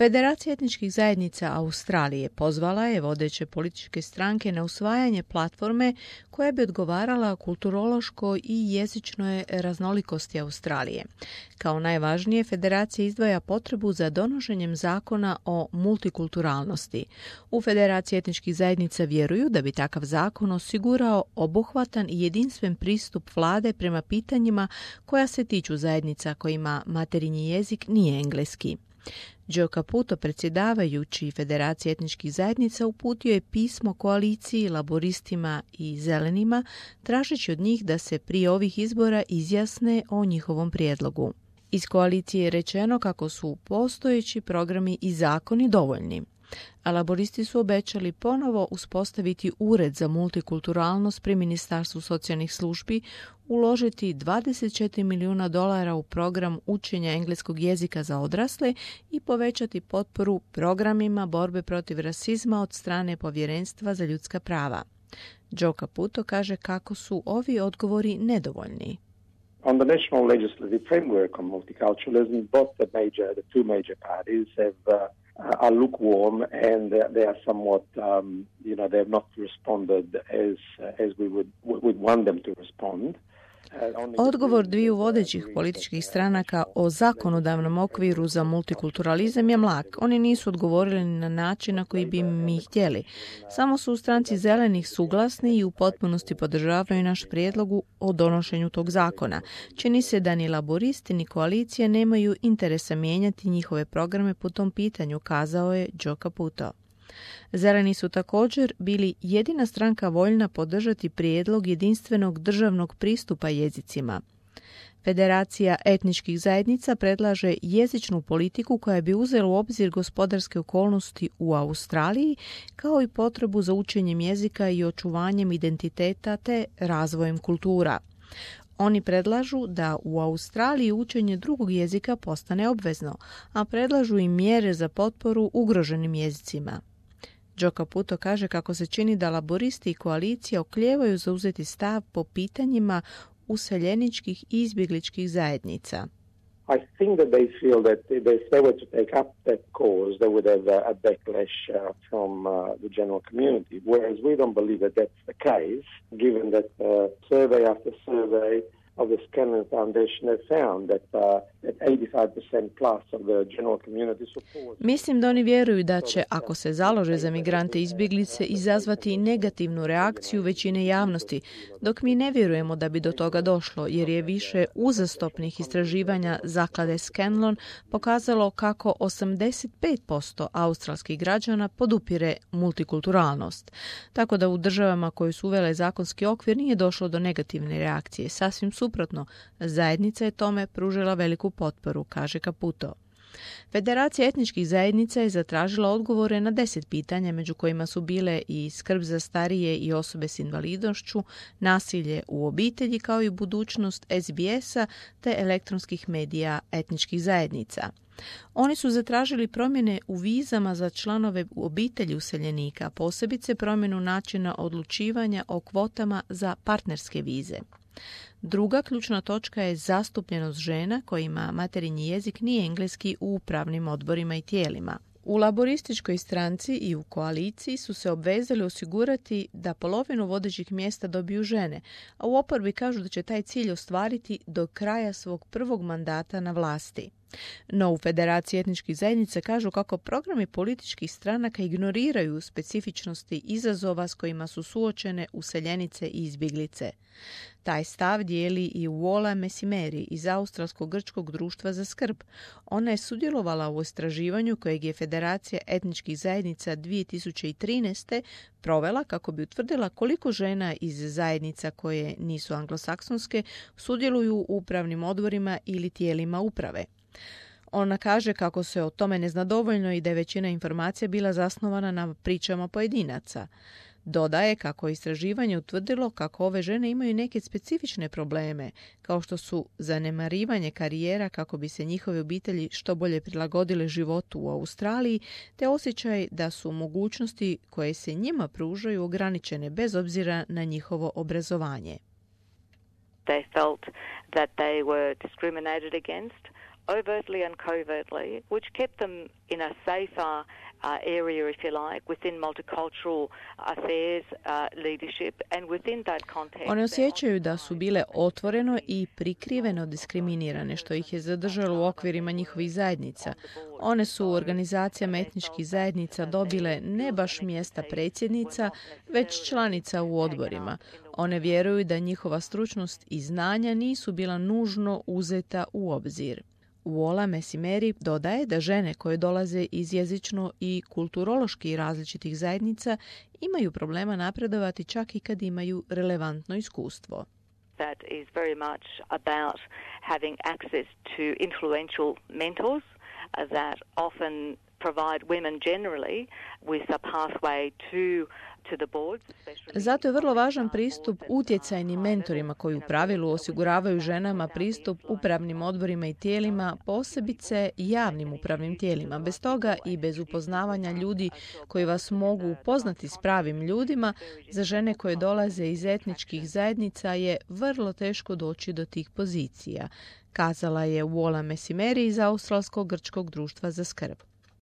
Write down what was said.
Federacija etničkih zajednica Australije pozvala je vodeće političke stranke na usvajanje platforme koja bi odgovarala kulturološkoj i jezičnoj raznolikosti Australije. Kao najvažnije, federacija izdvaja potrebu za donošenjem zakona o multikulturalnosti. U Federaciji etničkih zajednica vjeruju da bi takav zakon osigurao obuhvatan i jedinstven pristup vlade prema pitanjima koja se tiču zajednica kojima materinji jezik nije engleski. Joe Caputo, predsjedavajući Federacije etničkih zajednica, uputio je pismo koaliciji, laboristima i zelenima, tražeći od njih da se prije ovih izbora izjasne o njihovom prijedlogu. Iz koalicije je rečeno kako su postojeći programi i zakoni dovoljni. A laboristi su obećali ponovo uspostaviti ured za multikulturalnost pri Ministarstvu socijalnih službi, uložiti $24 milijuna u program učenja engleskog jezika za odrasle i povećati potporu programima borbe protiv rasizma od strane Povjerenstva za ljudska prava. Joe Caputo kaže kako su ovi odgovori nedovoljni. On the national legislative framework on multiculturalism, the two major parties are lukewarm and they are somewhat, they have not responded as we would want them to respond. Odgovor dviju vodećih političkih stranaka o zakonodavnom okviru za multikulturalizam je mlak. Oni nisu odgovorili na način na koji bi mi htjeli. Samo su u stranci zelenih suglasni i u potpunosti podržavaju naš prijedlog o donošenju tog zakona. Čini se da ni laboristi ni koalicije nemaju interesa mijenjati njihove programe po tom pitanju, kazao je Joe Caputo. Zeleni su također bili jedina stranka voljna podržati prijedlog jedinstvenog državnog pristupa jezicima. Federacija etničkih zajednica predlaže jezičnu politiku koja bi uzela u obzir gospodarske okolnosti u Australiji, kao i potrebu za učenjem jezika i očuvanjem identiteta te razvojem kultura. Oni predlažu da u Australiji učenje drugog jezika postane obvezno, a predlažu i mjere za potporu ugroženim jezicima. Joe Caputo kaže kako se čini da laboristi i koalicija oklijevaju zauzeti stav po pitanjima useljeničkih i izbjegličkih zajednica. I think that they feel that if they were to take up that cause, they would have a backlash from the general community, whereas we don't believe that that's the case, given that survey after survey of the Scanlon Foundation have found that 85% plus of the general community support. Mislim da oni vjeruju da će, ako se založe za migrante i izbjeglice, izazvati negativnu reakciju većine javnosti, dok mi ne vjerujemo da bi do toga došlo, jer je više uzastopnih istraživanja zaklade Scanlon pokazalo kako 85% australskih građana podupire multikulturalnost. Tako da u državama koje su uvele zakonski okvir nije došlo do negativne reakcije. Sasvim suprotno, zajednica je tome pružila veliku potporu, kaže Caputo. Federacija etničkih zajednica je zatražila odgovore na 10 pitanja, među kojima su bile i skrb za starije i osobe s invalidnošću, nasilje u obitelji, kao i budućnost SBS-a te elektronskih medija etničkih zajednica. Oni su zatražili promjene u vizama za članove obitelji useljenika, posebice promjenu načina odlučivanja o kvotama za partnerske vize. Druga ključna točka je zastupljenost žena kojima materinji jezik nije engleski u upravnim odborima i tijelima. U laborističkoj stranci i u koaliciji su se obvezali osigurati da polovinu vodećih mjesta dobiju žene, a u oporbi kažu da će taj cilj ostvariti do kraja svog prvog mandata na vlasti. No u Federaciji etničkih zajednica kažu kako programi političkih stranaka ignoriraju specifičnosti izazova s kojima su suočene useljenice i izbjeglice. Taj stav dijeli i Wola Mesimeri iz Australsko-grčkog društva za skrb. Ona je sudjelovala u istraživanju kojeg je Federacija etničkih zajednica 2013. provela kako bi utvrdila koliko žena iz zajednica koje nisu anglosaksonske sudjeluju u upravnim odborima ili tijelima uprave. Ona kaže kako se o tome ne zna dovoljno i da je većina informacija bila zasnovana na pričama pojedinaca. Dodaje kako je istraživanje utvrdilo kako ove žene imaju neke specifične probleme, kao što su zanemarivanje karijera kako bi se njihove obitelji što bolje prilagodile životu u Australiji, te osjećaj da su mogućnosti koje se njima pružaju ograničene bez obzira na njihovo obrazovanje. They felt that they were discriminated against overtly and covertly, which kept them in a safer area, if you like, within multicultural affairs leadership, and within that context. One osjećaju da su bile otvoreno i prikriveno diskriminirane, što ih je zadržalo u okvirima njihovih zajednica. One su u organizacijama etničkih zajednica dobile ne baš mjesta predsjednica, već članica u odborima. One vjeruju da njihova stručnost i znanja nisu bila nužno uzeta u obzir. Wola Messimerri dodaje da žene koje dolaze iz jezično i kulturološki različitih zajednica imaju problema napredovati čak i kad imaju relevantno iskustvo. That is very much about having access to influential mentors that often provide women generally with a pathway to the boards. Zato je vrlo važan pristup utjecajnim mentorima koji u pravilu osiguravaju ženama pristup upravnim odborima i tijelima, posebice javnim upravnim tijelima. Bez toga i bez upoznavanja ljudi koji vas mogu upoznati s pravim ljudima, za žene koje dolaze iz etničkih zajednica je vrlo teško doći do tih pozicija, kazala je Wola Messimerri iz Australskog grčkog društva za skrb.